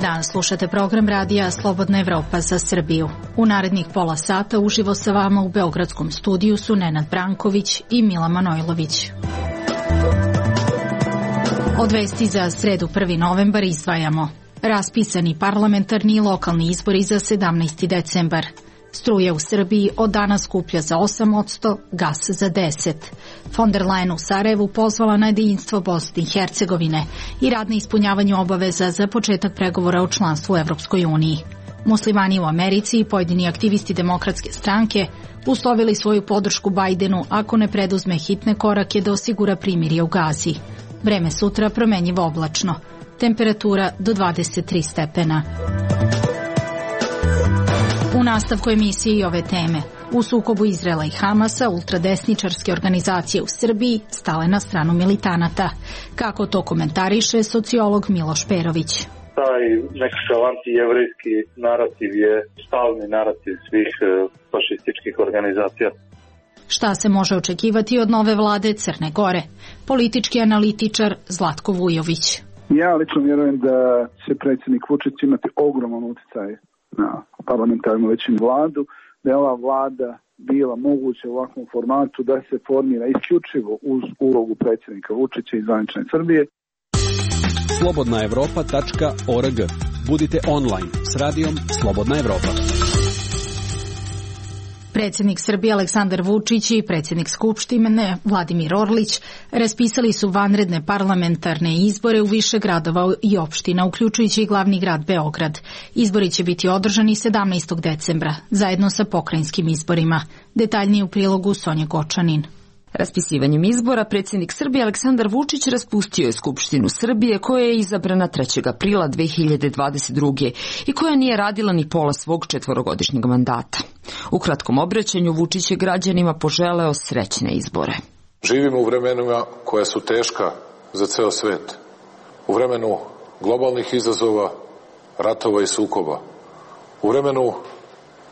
Dobar dan, slušate program radija Slobodna Evropa za Srbiju. U narednih pola sata uživo sa vama u beogradskom studiju su Nenad Branković i Mila Manojlović. Od vesti za sredu 1. novembar izdvajamo: raspisani parlamentarni i lokalni izbori za 17. decembar. Struja u Srbiji od danas skuplja za 8%, gas za 10%. Von der Leyen u Sarajevu pozvala na jedinstvo Bosne i Hercegovine i rad na ispunjavanju obaveza za početak pregovora o članstvu u Evropskoj uniji. Muslimani u Americi i pojedini aktivisti Demokratske stranke uslovili svoju podršku Bajdenu ako ne preduzme hitne korake da osigura primirje u Gazi. Vreme sutra promenjivo oblačno. Temperatura do 23 stepena. U nastavku emisije i ove teme. U sukobu Izraela i Hamasa, ultradesničarske organizacije u Srbiji stale na stranu militanata. Kako to komentariše sociolog Miloš Perović? Taj nekakav antijevrejski narativ je stalni narativ svih fašističkih organizacija. Šta se može očekivati od nove vlade Crne Gore? Politički analitičar Zlatko Vujović. Ja lično vjerujem da će predsjednik Vučić imati ogroman utjecaj na parlamentarnu većinu vladu, da je ova vlada bila moguće u ovakvom formatu da se formira isključivo uz ulogu predsjednika Vučića i zvanične Srbije. Slobodnaevropa.org. Budite online s radijom Slobodna Evropa. Predsjednik Srbije Aleksandar Vučić i predsjednik Skupštine Vladimir Orlić raspisali su vanredne parlamentarne izbore u više gradova i opština, uključujući i glavni grad Beograd. Izbori će biti održani 17. decembra, zajedno sa pokrajinskim izborima. Detaljnije u prilogu Sonja Gočanin. Raspisivanjem izbora predsjednik Srbije Aleksandar Vučić raspustio je Skupštinu Srbije koja je izabrana 3. aprila 2022. i koja nije radila ni pola svog 4-godišnjeg mandata. U kratkom obraćanju Vučić je građanima poželeo srećne izbore. Živimo u vremenima koja su teška za ceo svet. U vremenu globalnih izazova, ratova i sukoba. U vremenu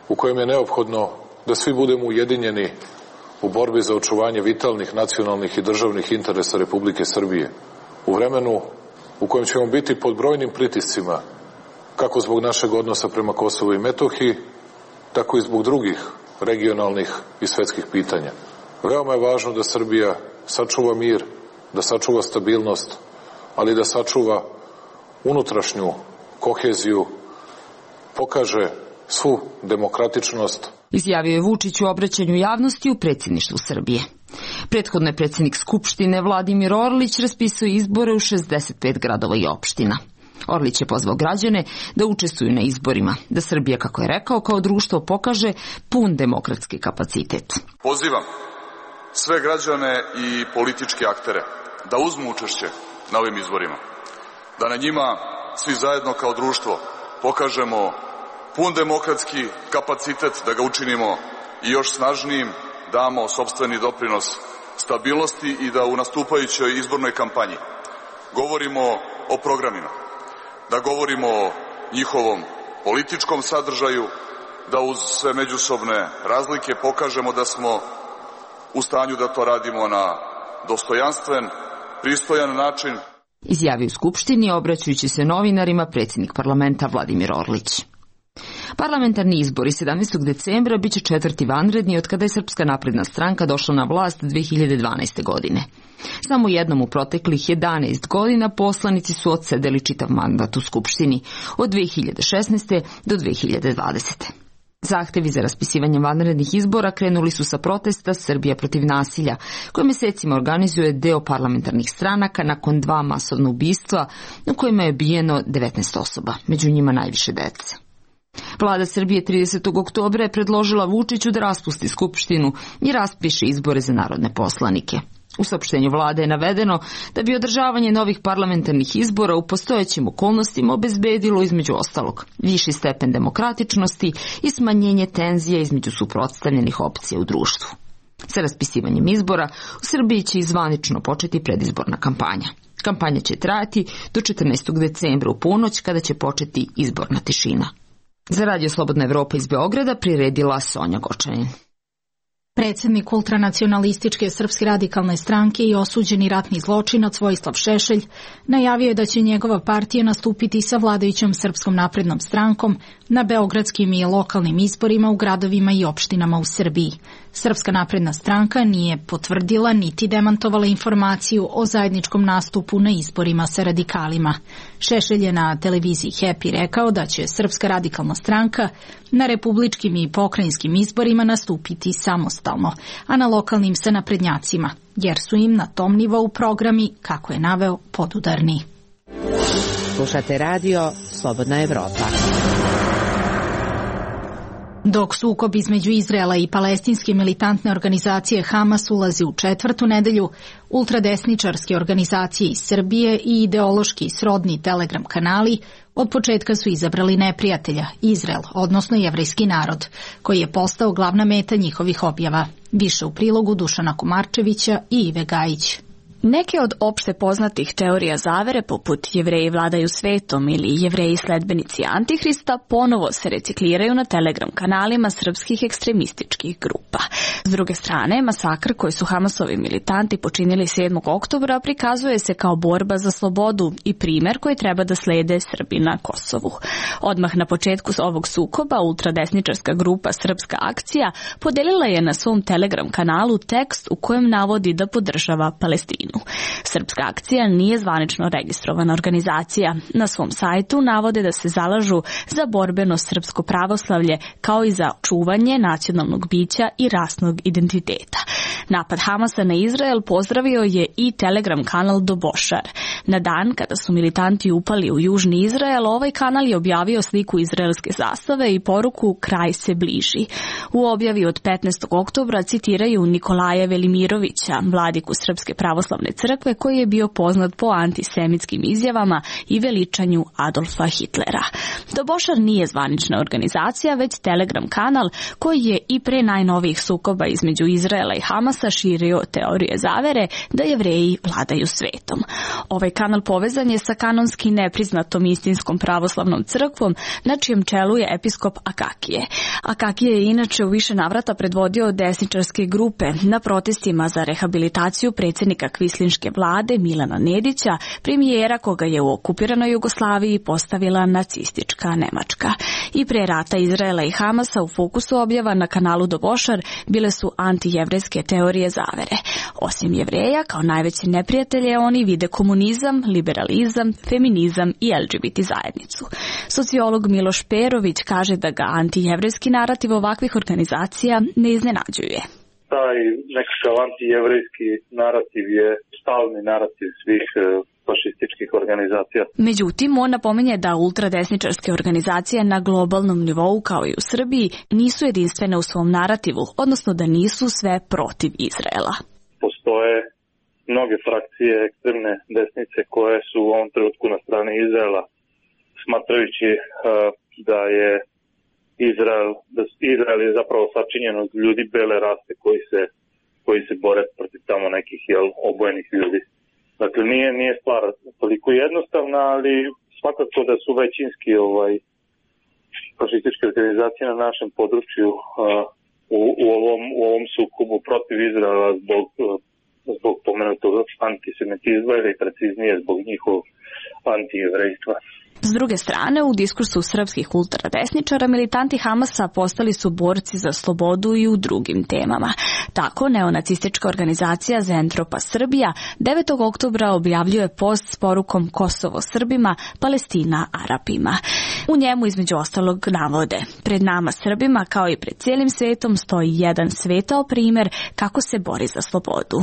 u kojem je neophodno da svi budemo ujedinjeni u borbi za očuvanje vitalnih nacionalnih i državnih interesa Republike Srbije. U vremenu u kojem ćemo biti pod brojnim pritiscima, kako zbog našeg odnosa prema Kosovu i Metohiji, tako i zbog drugih regionalnih i svetskih pitanja. Veoma je važno da Srbija sačuva mir, da sačuva stabilnost, ali da sačuva unutrašnju koheziju, pokaže svu demokratičnost. Izjavio je Vučić u obraćanju javnosti u predsjedništvu Srbije. Prethodno je predsjednik Skupštine Vladimir Orlić raspisao izbore u 65 gradova i opština. Orlić je pozvao građane da učestvuju na izborima, da Srbija, kako je rekao, kao društvo pokaže pun demokratski kapacitet. Pozivam sve građane i političke aktere da uzmu učešće na ovim izborima, da na njima svi zajedno kao društvo pokažemo pun demokratski kapacitet, da ga učinimo i još snažnijim, damo sopstveni doprinos stabilnosti i da u nastupajućoj izbornoj kampanji govorimo o programima, da govorimo o njihovom političkom sadržaju, da uz sve međusobne razlike pokažemo da smo u stanju da to radimo na dostojanstven, pristojan način. Izjavio u Skupštini, obraćajući se novinarima, predsjednik parlamenta Vladimir Orlić. Parlamentarni izbori 17. decembra biće 4. vanredni od kada je Srpska napredna stranka došla na vlast 2012. godine. Samo jednom u proteklih 11 godina poslanici su odsedeli čitav mandat u Skupštini od 2016. do 2020. Zahtevi za raspisivanje vanrednih izbora krenuli su sa protesta Srbija protiv nasilja, koje mesecima organizuje deo parlamentarnih stranaka nakon 2 masovna ubistva u kojima je ubijeno 19 osoba, među njima najviše dece. Vlada Srbije 30. oktobra je predložila Vučiću da raspusti Skupštinu i raspiše izbore za narodne poslanike. U saopštenju vlade je navedeno da bi održavanje novih parlamentarnih izbora u postojećim okolnostima obezbedilo između ostalog viši stepen demokratičnosti i smanjenje tenzija između suprotstavljenih opcija u društvu. Sa raspisivanjem izbora u Srbiji će zvanično početi predizborna kampanja. Kampanja će trajati do 14. decembra u ponoć kada će početi izborna tišina. Za radio Slobodna Evropa iz Beograda priredila Sonja Gočanin. Predsjednik ultranacionalističke Srpske radikalne stranke i osuđeni ratni zločinac Vojislav Šešelj najavio je da će njegova partija nastupiti sa vladajućom Srpskom naprednom strankom na beogradskim i lokalnim izborima u gradovima i opštinama u Srbiji. Srpska napredna stranka nije potvrdila niti demantovala informaciju o zajedničkom nastupu na izborima sa radikalima. Šešelj je na televiziji Happy rekao da će Srpska radikalna stranka na republičkim i pokrajinskim izborima nastupiti samostalno, a na lokalnim sa naprednjacima, jer su im na tom nivou programi, kako je naveo, podudarni. Slušate radio Slobodna Evropa. Dok sukob između Izraela i palestinske militantne organizacije Hamas ulazi u 4. nedelju, ultradesničarske organizacije iz Srbije i ideološki srodni Telegram kanali od početka su izabrali neprijatelja, Izrael, odnosno jevrejski narod, koji je postao glavna meta njihovih objava. Više u prilogu Dušana Komarčevića i Ive Gajić. Neke od opšte poznatih teorija zavere, poput Jevreji vladaju svetom ili Jevreji sledbenici Antihrista, ponovo se recikliraju na Telegram kanalima srpskih ekstremističkih grupa. S druge strane, masakr koji su Hamasovi militanti počinili 7. oktobra prikazuje se kao borba za slobodu i primer koji treba da slede Srbi na Kosovu. Odmah na početku ovog sukoba ultradesničarska grupa Srpska akcija podelila je na svom Telegram kanalu tekst u kojem navodi da podržava Palestinu. Srpska akcija nije zvanično registrovana organizacija. Na svom sajtu navode da se zalažu za borbeno srpsko pravoslavlje kao i za čuvanje nacionalnog bića i rasnog identiteta. Napad Hamasa na Izrael pozdravio je i Telegram kanal Dobošar. Na dan kada su militanti upali u južni Izrael, ovaj kanal je objavio sliku izraelske zastave i poruku "Kraj se bliži". U objavi od 15. oktobra citiraju Nikolaja Velimirovića, vladiku Srpske pravoslavne crkve, koji je bio poznat po antisemitskim izjavama i veličanju Adolfa Hitlera. Dobošar nije zvanična organizacija, već Telegram kanal koji je i pre najnovijih sukoba između Izraela i Hamasa širio teorije zavere da Jevreji vladaju svetom. Ovaj kanal povezan je sa kanonski nepriznatom istinskom pravoslavnom crkvom, na čijem čelu je episkop Akakije. Akakije je inače u više navrata predvodio desničarske grupe na protestima za rehabilitaciju predsjednika kvislinške vlade Milana Nedića, premijera koga je u okupiranoj Jugoslaviji postavila nacistička Nemačka. I pre rata Izraela i Hamasa u fokusu objava na kanalu Dobošar bile su antijevrejske teorije zavere. Osim Jevreja, kao najveće neprijatelje oni vide komunizam, liberalizam, feminizam i LGBT zajednicu. Sociolog Miloš Perović kaže da ga antijevrejski narativ ovakvih organizacija ne iznenađuje. Taj nekakav antijevrejski narativ je stalni narativ svih fašističkih organizacija. Međutim, on napominje da ultradesničarske organizacije na globalnom nivou, kao i u Srbiji, nisu jedinstvene u svom narativu, odnosno da nisu sve protiv Izraela. Postoje mnoge frakcije ekstremne desnice koje su u ovom trenutku na strani Izraela, smatrajući da je Izrael je zapravo sačinjen od ljudi bele rase koji se bore protiv tamo nekih obojenih ljudi. Dakle, nije stvar toliko jednostavna, ali svakako da su većinski fašističke organizacije na našem području u ovom sukobu protiv Izraela zbog pomenutog antisemitizma ili preciznije zbog njihovog antijevrejstva. S druge strane, u diskursu srpskih ultradesničara militanti Hamasa postali su borci za slobodu i u drugim temama. Tako, neonacistička organizacija Zentropa Srbija 9. oktobra objavljuje post s porukom Kosovo Srbima, Palestina Arapima. U njemu između ostalog navode: pred nama Srbima kao i pred cijelim svetom stoji jedan svetao primjer kako se bori za slobodu.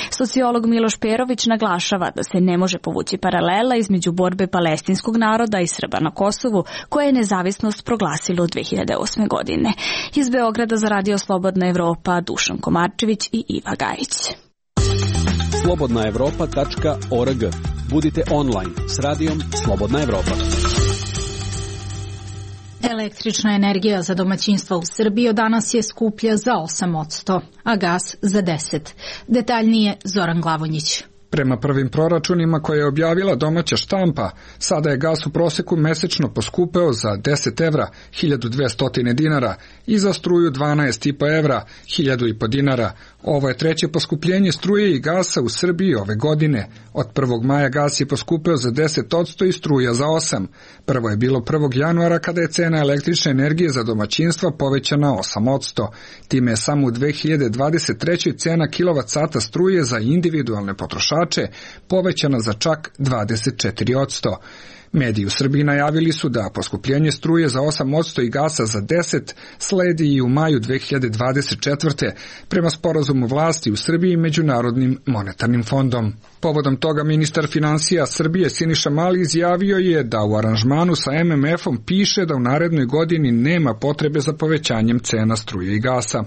Sociolog Miloš Perović naglašava da se ne može povući paralela između borbe palestinskog naroda i Srba na Kosovu, koje je nezavisnost proglasilo 2008. godine. Iz Beograda za Radio Slobodna Evropa, Dušan Komarčević i Iva Gajić. slobodnaevropa.org. Budite online s radijom Slobodna Evropa. Električna energija za domaćinstva u Srbiji od danas je skuplja za 8%, a gas za 10%. Detaljnije Zoran Glavonjić. Prema prvim proračunima koje je objavila domaća štampa, sada je gas u proseku mesečno poskupeo za 10 evra, 1200 dinara, i za struju 12,5 evra, 1000 dinara. Ovo je treće poskupljenje struje i gasa u Srbiji ove godine. Od 1. maja gas je poskupeo za 10% i struja za 8%. Prvo je bilo 1. januara kada je cena električne energije za domaćinstva povećana 8%. Time je samo u 2023. cena kilovat-sata struje za individualne potrošače povećana za čak 24%. Mediji u Srbiji najavili su da poskupljenje struje za 8% i gasa za 10% sledi i u maju 2024. prema sporazumu vlasti u Srbiji i Međunarodnim monetarnim fondom. Povodom toga ministar finansija Srbije Siniša Mali izjavio je da u aranžmanu sa MMF-om piše da u narednoj godini nema potrebe za povećanjem cena struje i gasa.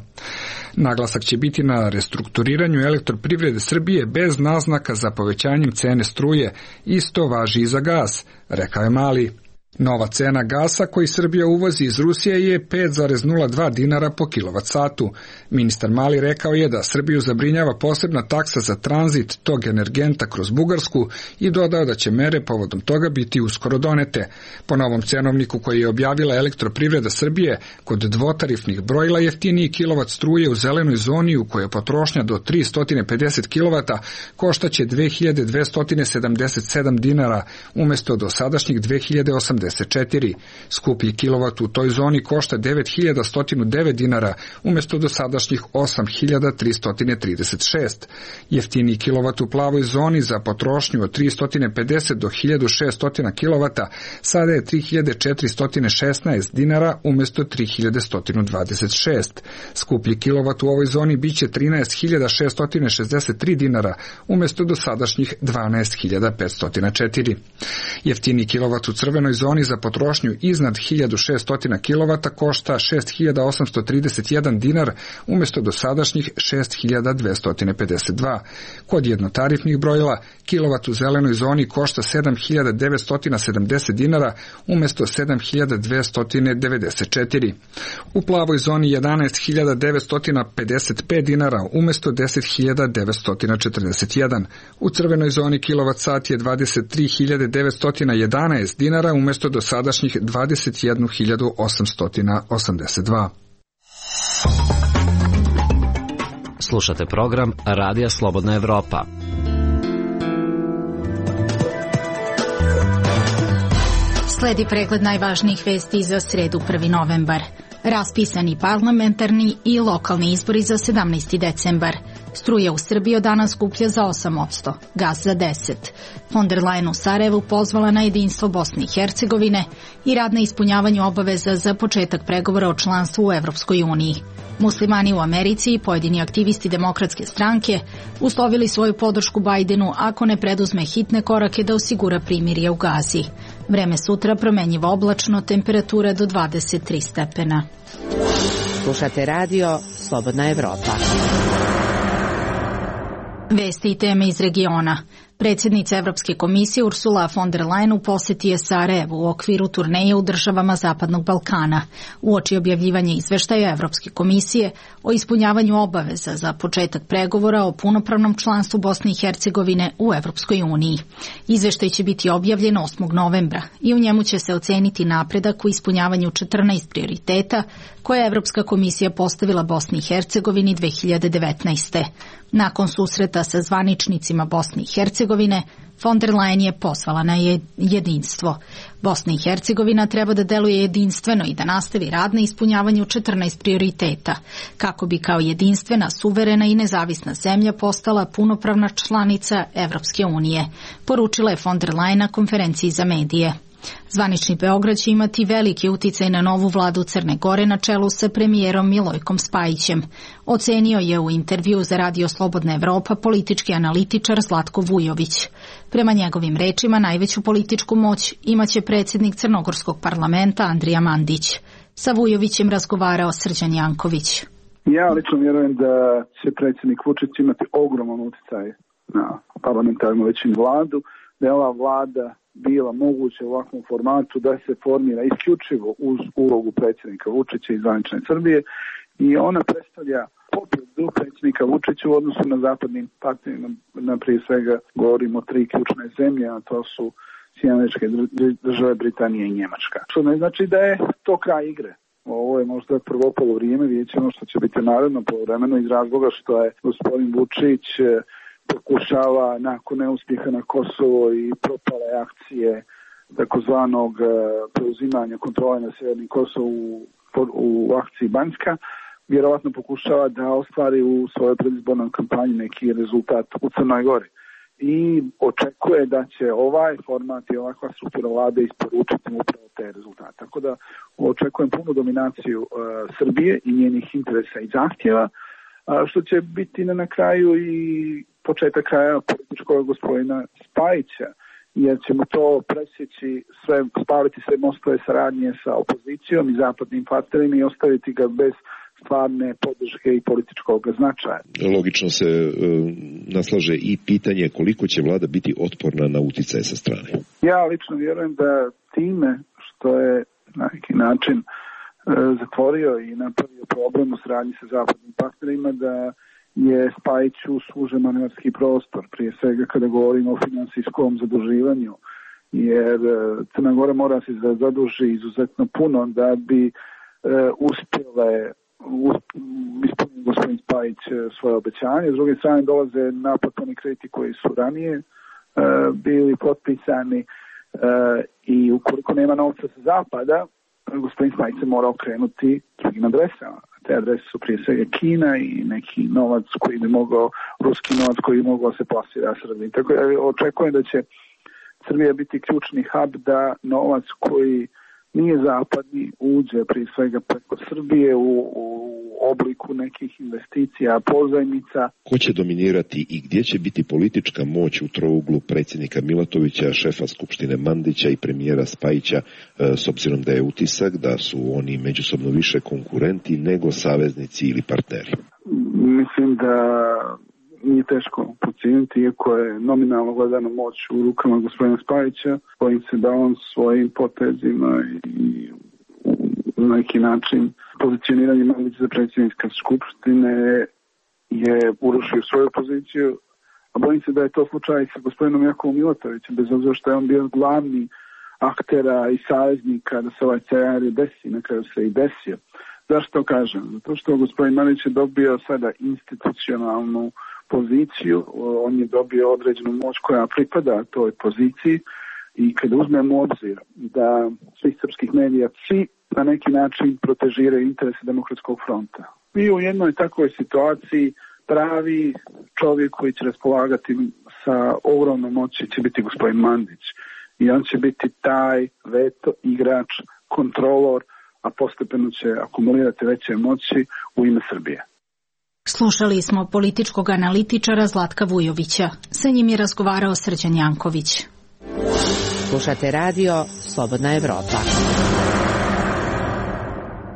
Naglasak će biti na restrukturiranju elektroprivrede Srbije bez naznaka za povećanjem cene struje, isto važi i za gas, rekao je Mali. Nova cena gasa koji Srbija uvozi iz Rusije je 5,02 dinara po kilovat-satu. Ministar Mali rekao je da Srbiju zabrinjava posebna taksa za tranzit tog energenta kroz Bugarsku i dodao da će mere povodom toga biti uskoro donete. Po novom cenovniku koji je objavila elektroprivreda Srbije, kod dvotarifnih brojila jeftiniji kilovat struje u zelenoj zoni u kojoj je potrošnja do 350 kilovata koštaće 2277 dinara umjesto dosadašnjih 2080. Skuplji kilovat u toj zoni košta 9109 dinara umjesto dosadašnjih 8336. Jeftiniji kilovat u plavoj zoni za potrošnju od 350 do 1600 kilovata sada je 3416 dinara umjesto 3126. Skuplji kilovat u ovoj zoni biće 13663 dinara umjesto dosadašnjih 12504. Jeftiniji kilovat u crvenoj zoni za potrošnju iznad 1600 kW košta 6831 dinar umjesto dosadašnjih 6252. Kod jednotarifnih brojila kilovat u zelenoj zoni košta 7970 dinara umjesto 7294. U plavoj zoni 11955 dinara umjesto 10941. U crvenoj zoni kilovat sat je 23911 dinara umjesto dosadašnjih 21882. Slušate program Radija Slobodna Evropa. Sledi pregled najvažnijih vesti za sredu 1. novembar. Raspisani parlamentarni i lokalni izbori za 17. decembar. Struja u Srbiji od danas skuplja za 8%, gas za 10%. Von der Leyen u Sarajevu pozvala na jedinstvo Bosne i Hercegovine i rad na ispunjavanju obaveza za početak pregovora o članstvu u Evropskoj uniji. Muslimani u Americi i pojedini aktivisti Demokratske stranke uslovili svoju podršku Bajdenu ako ne preduzme hitne korake da osigura primirje u Gazi. Vreme sutra promenjivo oblačno, temperatura do 23 stepena. Slušate radio Slobodna Evropa. Vesti i teme iz regiona. Predsjednica Evropske komisije Ursula von der Leyen u posjeti je Sarajevu u okviru turneje u državama Zapadnog Balkana, uoči objavljivanja izveštaja Evropske komisije o ispunjavanju obaveza za početak pregovora o punopravnom članstvu Bosne i Hercegovine u Evropskoj uniji. Izveštaj će biti objavljen 8. novembra i u njemu će se oceniti napredak u ispunjavanju 14 prioriteta koje je Evropska komisija postavila Bosni i Hercegovini 2019. Nakon susreta sa zvaničnicima Bosne i Hercegovine, von der Leyen je pozvala na jedinstvo. Bosna i Hercegovina treba da deluje jedinstveno i da nastavi rad na ispunjavanju 14 prioriteta, kako bi kao jedinstvena, suverena i nezavisna zemlja postala punopravna članica Evropske unije, poručila je von der Leyen na konferenciji za medije. Zvanični Beograd će imati veliki uticaj na novu vladu Crne Gore na čelu sa premijerom Milojkom Spajićem, ocenio je u intervju za Radio Slobodna Evropa politički analitičar Zlatko Vujović. Prema njegovim rečima najveću političku moć imaće predsjednik Crnogorskog parlamenta Andrija Mandić. Sa Vujovićem razgovarao Srđan Janković. Ja lično vjerujem da će predsjednik Vučić imati ogroman utjecaj na parlamentarnu većinu vladu, da je ova vlada bila moguće u ovakvom formatu da se formira isključivo uz ulogu predsjednika Vučića i zvanične Srbije i ona predstavlja pobjedu predsjednika Vučića u odnosu na zapadnim partnerima, prije svega govorimo o 3 ključne zemlje, a to su Sjedinjene Američke Države, Britanija i Njemačka. Što ne znači da je to kraj igre. Ovo je možda prvo polovrijeme, vidjet ćemo što će biti naredno polovremeno iz razloga što je gospodin Vučić pokušava nakon neuspjeha na Kosovo i propale akcije takozvanog preuzimanja kontrole na Sjevernim Kosovu u akciji Banjska, vjerovatno pokušava da ostvari u svojoj predizbornoj kampanji neki rezultat u Crnoj Gori. I očekuje da će ovaj format i ovakva struktura vlade isporučiti upravo te rezultate. Tako da očekujem punu dominaciju Srbije i njenih interesa i zahtjeva, što će biti na kraju i početak kraja političkog gospodina Spajića, jer ćemo to presjeći spaliti sve mostove saradnje sa opozicijom i zapadnim partnerima i ostaviti ga bez stvarne podrške i političkog značaja. Logično se naslaže i pitanje koliko će vlada biti otporna na uticaje sa strane. Ja lično vjerujem da time što je na neki način zatvorio i napravio problem u saradnji sa zapadnim partnerima, da je Spajiću sužen manevarski prostor, prije svega kada govorimo o finansijskom zaduživanju, jer Crna Gora mora se zaduži izuzetno puno da bi uspjele ispuniti gospodin Spajić svoje obećanje. S druge strane dolaze naplatni krediti koji su ranije bili potpisani i ukoliko nema novca sa zapada, gospodin Spajić se mora okrenuti drugim adresama. Te adrese su prije svega Kina i neki novac koji bi mogao, ruski novac koji bi mogao se plasirati Srbiji. Tako da očekujem da će Srbija biti ključni hub da novac koji nije zapadni uđe prije svega preko Srbije u obliku nekih investicija, pozajmica. Ko će dominirati i gdje će biti politička moć u trouglu predsjednika Milatovića, šefa Skupštine Mandića i premijera Spajića, s obzirom da je utisak da su oni međusobno više konkurenti nego saveznici ili partneri? Mislim da nije teško procijeniti, iako je nominalno gledano moć u rukama gospodina Spajića, bojim se da on svojim potezima i na neki način pozicioniranje Mandića za predsjednika Skupštine je urušio svoju poziciju, a bojim se da je to slučaj sa gospodinom Jakovom Milatovićem, bez obzira što je on bio glavni aktera i saveznika da se ovaj scenarij desi, na kraju se i desio. Zašto kažem? Zato što gospodin Mandić je dobio sada institucionalnu poziciju, on je dobio određenu moć koja pripada toj poziciji i kada uzmemo u obzir da svih srpskih medija svi na neki način protežiraju interese Demokratskog fronta. I u jednoj takvoj situaciji pravi čovjek koji će raspolagati sa ogromnom moći će biti gospodin Mandić i on će biti taj veto igrač, kontrolor, a postepeno će akumulirati veće moći u ime Srbije. Slušali smo političkog analitičara Zlatka Vujovića. Sa njim je razgovarao Srđan Janković. Slušate radio Slobodna Evropa.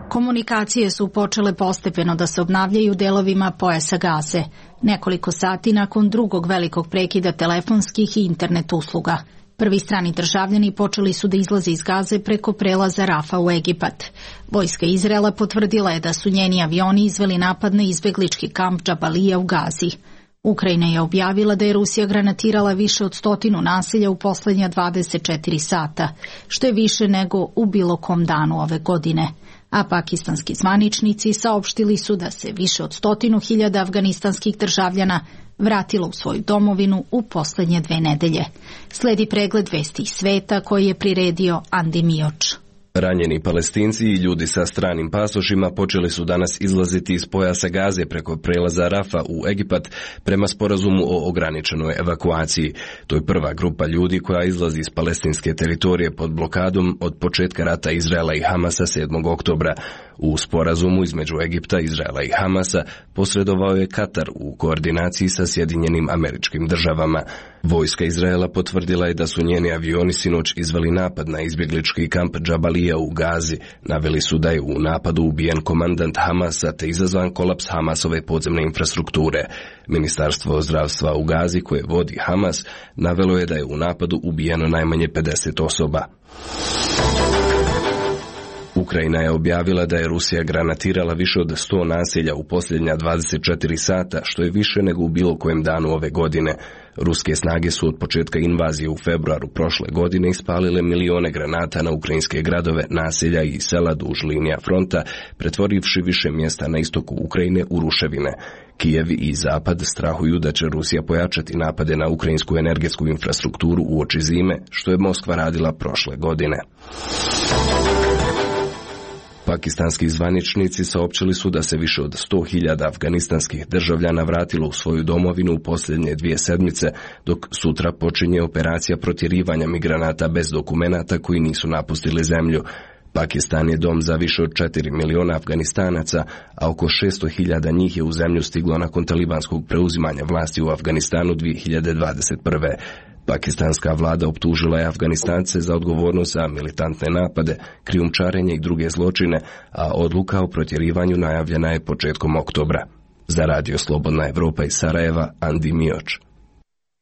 Komunikacije su počele postepeno da se obnavljaju delovima pojasa Gaze, nekoliko sati nakon drugog velikog prekida telefonskih i internet usluga. Prvi strani državljani počeli su da izlaze iz Gaze preko prelaza Rafa u Egipat. Vojska Izraela potvrdila je da su njeni avioni izveli napad na izbeglički kamp Džabalija u Gazi. Ukrajina je objavila da je Rusija granatirala više od 100 naselja u posljednja 24 sata, što je više nego u bilo kom danu ove godine. A pakistanski zvaničnici saopštili su da se više od 100.000 afganistanskih državljana vratilo u svoju domovinu u posljednje 2 nedelje. Sledi pregled vesti iz sveta koji je priredio Andi Mioč. Ranjeni Palestinci i ljudi sa stranim pasošima počeli su danas izlaziti iz pojasa Gaze preko prelaza Rafa u Egipat prema sporazumu o ograničenoj evakuaciji. To je prva grupa ljudi koja izlazi iz palestinske teritorije pod blokadom od početka rata Izraela i Hamasa 7. oktobra. U sporazumu između Egipta, Izraela i Hamasa posredovao je Katar u koordinaciji sa Sjedinjenim Američkim Državama. Vojska Izraela potvrdila je da su njeni avioni sinoć izveli napad na izbjeglički kamp Džabalija u Gazi. Naveli su da je u napadu ubijen komandant Hamasa te izazvan kolaps Hamasove podzemne infrastrukture. Ministarstvo zdravstva u Gazi koje vodi Hamas navelo je da je u napadu ubijeno najmanje 50 osoba. Ukrajina je objavila da je Rusija granatirala više od 100 naselja u posljednja 24 sata, što je više nego u bilo kojem danu ove godine. Ruske snage su od početka invazije u februaru prošle godine ispalile milione granata na ukrajinske gradove, naselja i sela duž linija fronta, pretvorivši više mjesta na istoku Ukrajine u ruševine. Kijev i Zapad strahuju da će Rusija pojačati napade na ukrajinsku energetsku infrastrukturu uoči zime, što je Moskva radila prošle godine. Pakistanski zvaničnici saopćili su da se više od 100.000 afganistanskih državljana vratilo u svoju domovinu u posljednje 2 sedmice, dok sutra počinje operacija protjerivanja migranata bez dokumenata koji nisu napustili zemlju. Pakistan je dom za više od 4 miliona Afganistanaca, a oko 600.000 njih je u zemlju stiglo nakon talibanskog preuzimanja vlasti u Afganistanu 2021. Pakistanska vlada optužila je Afganistance za odgovornost za militantne napade, krijumčarenje i druge zločine, a odluka o protjerivanju najavljena je početkom oktobra. Za Radio Slobodna Evropa iz Sarajeva, Andi Mioč.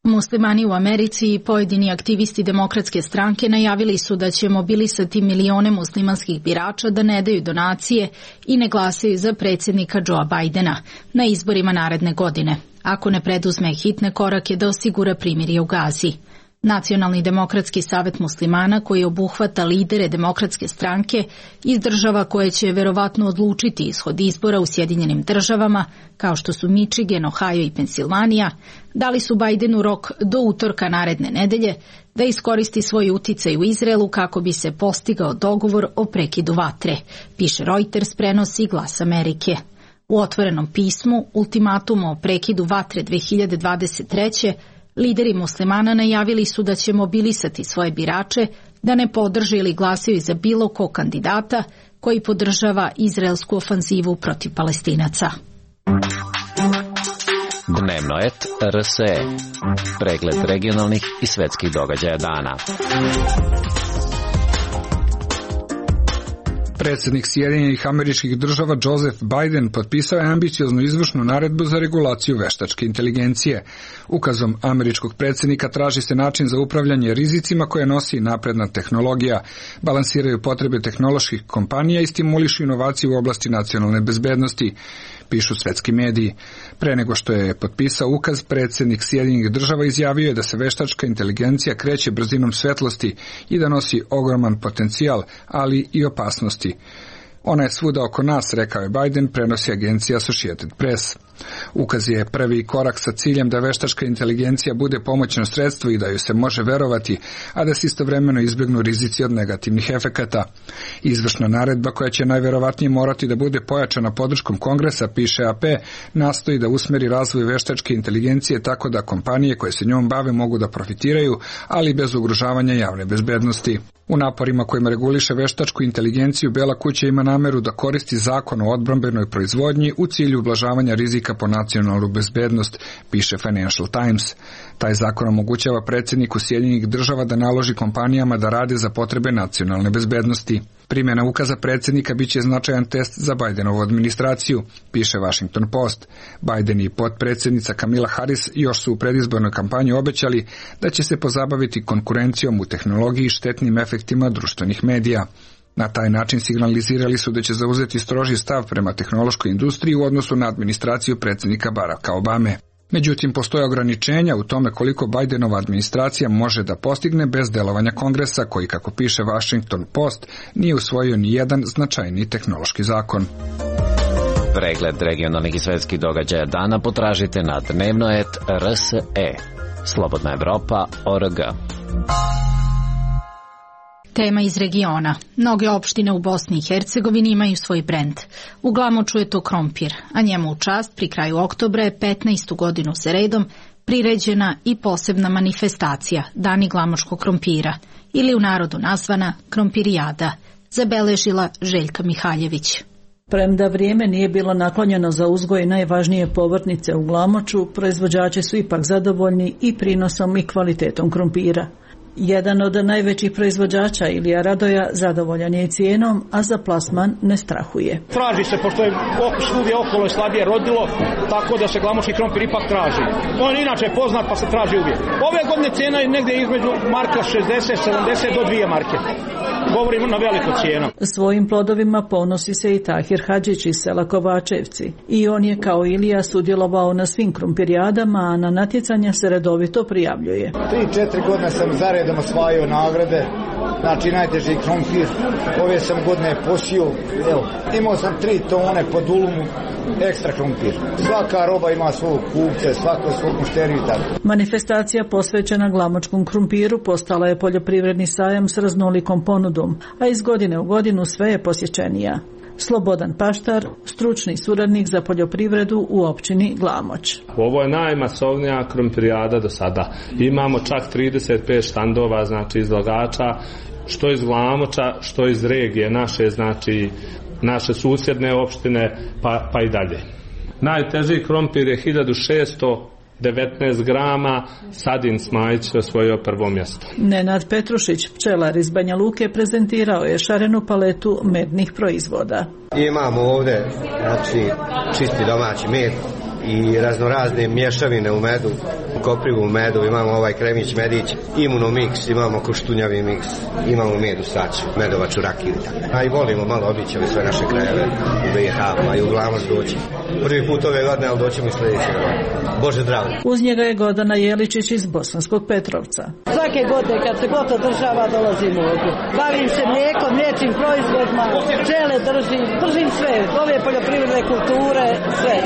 Muslimani u Americi i pojedini aktivisti Demokratske stranke najavili su da će mobilisati milione muslimanskih birača da ne daju donacije i ne glasaju za predsjednika Joea Bidena na izborima naredne godine, ako ne preduzme hitne korake da osigura primirje u Gazi. Nacionalni demokratski savet muslimana, koji obuhvata lidere Demokratske stranke iz država koje će verovatno odlučiti ishod izbora u Sjedinjenim državama, kao što su Michigan, Ohio i Pensilvanija, dali su Bidenu rok do utorka naredne nedelje da iskoristi svoj uticaj u Izraelu kako bi se postigao dogovor o prekidu vatre, piše Reuters, prenosi Glas Amerike. U otvorenom pismu, ultimatumu o prekidu vatre 2023. lideri muslimana najavili su da će mobilisati svoje birače da ne podrže ili glasaju za bilo kog kandidata koji podržava izraelsku ofanzivu protiv Palestinaca. Dnevno et RSE. Pregled regionalnih i svetskih događaja dana. Predsjednik Sjedinjenih Američkih Država Joseph Biden potpisao je ambicioznu izvršnu naredbu za regulaciju veštačke inteligencije. Ukazom američkog predsjednika traži se način za upravljanje rizicima koje nosi napredna tehnologija, balansiraju potrebe tehnoloških kompanija i stimulišu inovaciju u oblasti nacionalne bezbednosti, pišu svetski mediji. Pre nego što je potpisao ukaz, predsjednik Sjedinjenih Država izjavio je da se veštačka inteligencija kreće brzinom svetlosti i da nosi ogroman potencijal, ali i opasnosti. Ona je svuda oko nas, rekao je Biden, prenosi agencija Associated Press. Ukaz je prvi korak sa ciljem da veštačka inteligencija bude pomoćno sredstvo i da ju se može verovati, a da se istovremeno izbjegnu rizici od negativnih efekata. Izvršna naredba, koja će najverovatnije morati da bude pojačana podrškom Kongresa, piše AP, nastoji da usmeri razvoj veštačke inteligencije tako da kompanije koje se njom bave mogu da profitiraju, ali bez ugrožavanja javne bezbednosti. U naporima kojima reguliše veštačku inteligenciju, Bela kuća ima nameru da koristi zakon o odbrambenoj proizvodnji u cilju ublažavanja rizika po nacionalnu bezbednost, piše Financial Times. Taj zakon omogućava predsjedniku Sjedinjenih Država da naloži kompanijama da rade za potrebe nacionalne bezbednosti. Primjena ukaza predsjednika biće značajan test za Bidenovu administraciju, piše Washington Post. Biden i potpredsjednica Kamala Harris još su u predizbornoj kampanji obećali da će se pozabaviti konkurencijom u tehnologiji i štetnim efektima društvenih medija. Na taj način signalizirali su da će zauzeti stroži stav prema tehnološkoj industriji u odnosu na administraciju predsjednika Baracka Obame. Međutim, postoje ograničenja u tome koliko Bidenova administracija može da postigne bez delovanja Kongresa, koji, kako piše Washington Post, nije usvojio ni jedan značajni tehnološki zakon. Pregled regionalnih i svetskih događaja dana potražite na dnevnoet.rse. Slobodna Evropa.org. Tema iz regiona. Mnoge opštine u Bosni i Hercegovini imaju svoj brend. U Glamoču je to krompir, a njemu u čast pri kraju oktobra je 15. godinu za redom priređena i posebna manifestacija Dani glamočkog krompira, ili u narodu nazvana Krompirijada, zabeležila Željka Mihaljević. Premda vrijeme nije bilo naklonjeno za uzgoj najvažnije povrtnice u Glamoču, proizvođači su ipak zadovoljni i prinosom i kvalitetom krompira. Jedan od najvećih proizvođača, Ilija Radoja, zadovoljan je i cijenom, a za plasman ne strahuje. Traži se, pošto je svugdje okolo je slabije rodilo, tako da se glamočki krompir ipak traži. On je inače poznat, pa se traži uvijek. Ove godine cijena je negdje između marka 60, 70 do 2 marke. govorimo na veliku cijenu. Svojim plodovima ponosi se i Tahir Hadžić iz sela Kovačevci. I on je kao Ilija sudjelovao na svim krumpirijadama, a na natjecanja se redovito prijavljuje. 3-4 godine sam zaredom osvajao nagrade, znači najteži krompir. Ove sam godine posio, evo, imao sam 3 tone po dulumu ekstra krompir. Svaka roba ima svog kupce, svako svog mušteriju i tako. Manifestacija posvećena glamočkom krumpiru postala je poljoprivredni sajam s raznolikom ponudom, a iz godine u godinu sve je posjećenija. Slobodan Paštar, stručni suradnik za poljoprivredu u općini Glamoč. Ovo je najmasovnija krumpirijada do sada. Imamo čak 35 štandova, znači izlagača, što iz Glamoča, što iz regije naše, znači naše susjedne opštine, pa i dalje. Najteži krompir je 1619 grama, Sadin Smajić osvojio prvo mjesto. Nenad Petrušić, pčelar iz Banja Luke, prezentirao je šarenu paletu mednih proizvoda. Imamo ovdje, znači, čisti domaći med i raznorazne mješavine u medu, koprivu u medu, imamo ovaj kremić medić, imunomix, imamo koštunjavi miks, imamo med u saču, medovaču rakiju. A i volimo malo obići ove sve naše krajeve u BiH, pa i u Glamoč doći. Prvi put ove godine, ali doćemo i sljedeće. Bože zdravlje. Uz njega je Gordana Jeličić iz Bosanskog Petrovca. Svake godine kad se god održava dolazimo ovdje. Bavim se mlijekom, mliječnim proizvodima, pčele držim sve, ove poljoprivredne kulture, sve.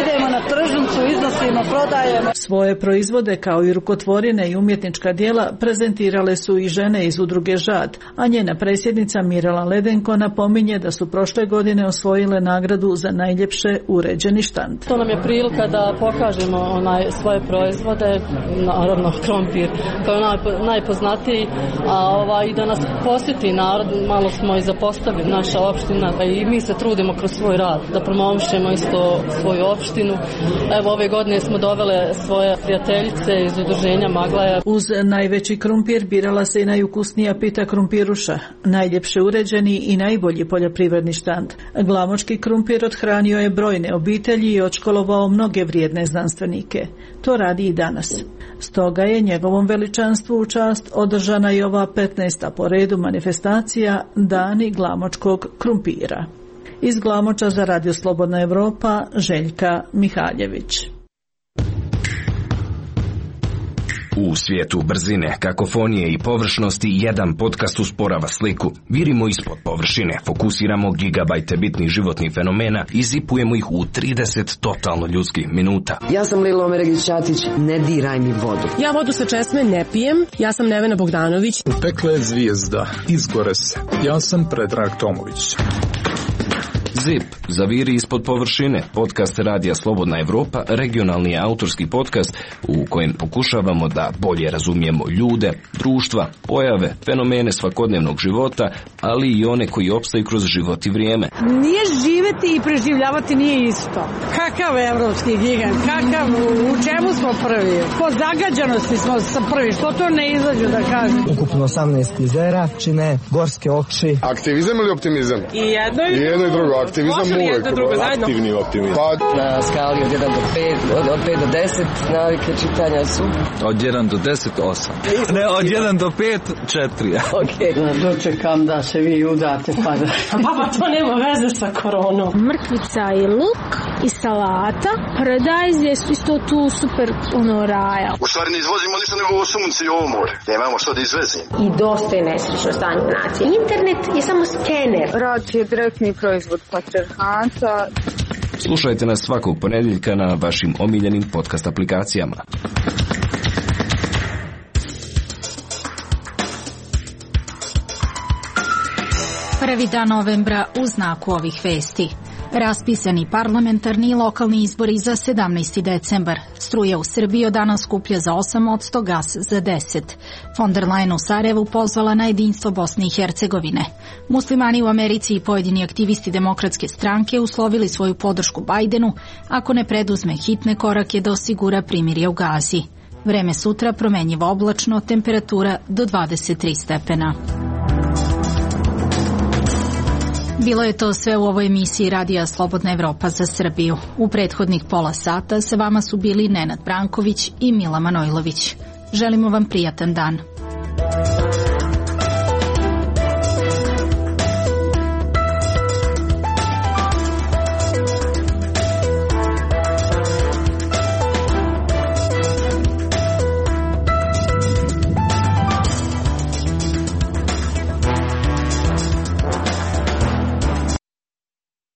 Idemo na tržnicu, iznosimo, prodajemo. Svoje proizvode kao i rukotvorine i umjetnička djela prezentirale su i žene iz udruge Žad, a njena predsjednica Mirela Ledenko napominje da su prošle godine osvojile nagradu za najljepše uređeni štand. To nam je prilika da pokažemo svoje proizvode, naravno krompir kao najpoznatiji, i da nas posjeti narod, malo smo i zapostavili naša opština i mi se trudimo kroz svoj rad da promovišemo isto svoju opštinu. Evo ove godine smo dovele svoje prijateljice iz udruženja Maglaja. Uz najveći krumpir birala se i najukusnija pita krumpiruša, najljepše uređeni i najbolji poljoprivredni štand. Glamočki krumpir odhranio je brojne obitelji i odškolovao mnoge vrijedne znanstvenike. To radi i danas. Stoga je njegovom veličanstvu u čast održana i ova 15. po redu manifestacija Dani glamočkog krumpira. Iz Glamoča za Radio Slobodna Evropa, Željka Mihaljević. U svijetu brzine, kakofonije i površnosti jedan podcast usporava sliku. Virimo ispod površine, fokusiramo gigabajte bitnih životnih fenomena i zipujemo ih u 30 totalno ljudskih minuta. Ja sam Lilo Omeregić-Ćatić, ne diraj mi vodu. Ja vodu sa česme ne pijem, ja sam Nevena Bogdanović. Pekla je zvijezda, izgore se. Ja sam Predrag Tomović. ZIP, zaviri ispod površine, podcast Radija Slobodna Evropa, regionalni autorski podcast u kojem pokušavamo da bolje razumijemo ljude, društva, pojave, fenomene svakodnevnog života, ali i one koji opstaju kroz život i vrijeme. Nije živeti i preživljavati nije isto. Kakav evropski gigant, u čemu smo prvi? Po zagađanosti smo prvi, što to ne izađu da kažem? Ukupno 18 jezera čine gorske oči. Aktivizam ili optimizam? I jedno i drugo. Aktivizam uvijek, aktivni optimizam. Na skali od 1 do 5, od 5 do 10, navike čitanja su? Od 1 do 10, 8. Ne, od 1 do 5, 4. Ok. Dočekam da se vi udate, pa da... Pa to nema veze sa koronom. Mrkvica i luk i salata, paradajz je isto tu super raja. U stvari ne izvozimo ništa nego ovo sunce i ovo more. Nemamo što da izvezimo. I dosta je nesrećno stanje nacije. Internet je samo skener. Rad je direktni proizvod patrijarhata. Slušajte nas svakog ponedjeljka na vašim omiljenim podcast aplikacijama. Prvi dan novembra u znaku ovih vesti. Raspisani parlamentarni i lokalni izbori za 17. decembar. Struja u Srbiji od danas skuplja za 8%, gas za 10%. Von der Leyen u Sarajevu pozvala na jedinstvo Bosne i Hercegovine. Muslimani u Americi i pojedini aktivisti Demokratske stranke uslovili svoju podršku Bajdenu ako ne preduzme hitne korake da osigura primirje u Gazi. Vreme sutra promenjivo oblačno, temperatura do 23 stepena. Bilo je to sve u ovoj emisiji Radija Slobodna Evropa za Srbiju. U prethodnih pola sata sa vama su bili Nenad Branković i Mila Manojlović. Želimo vam prijatan dan.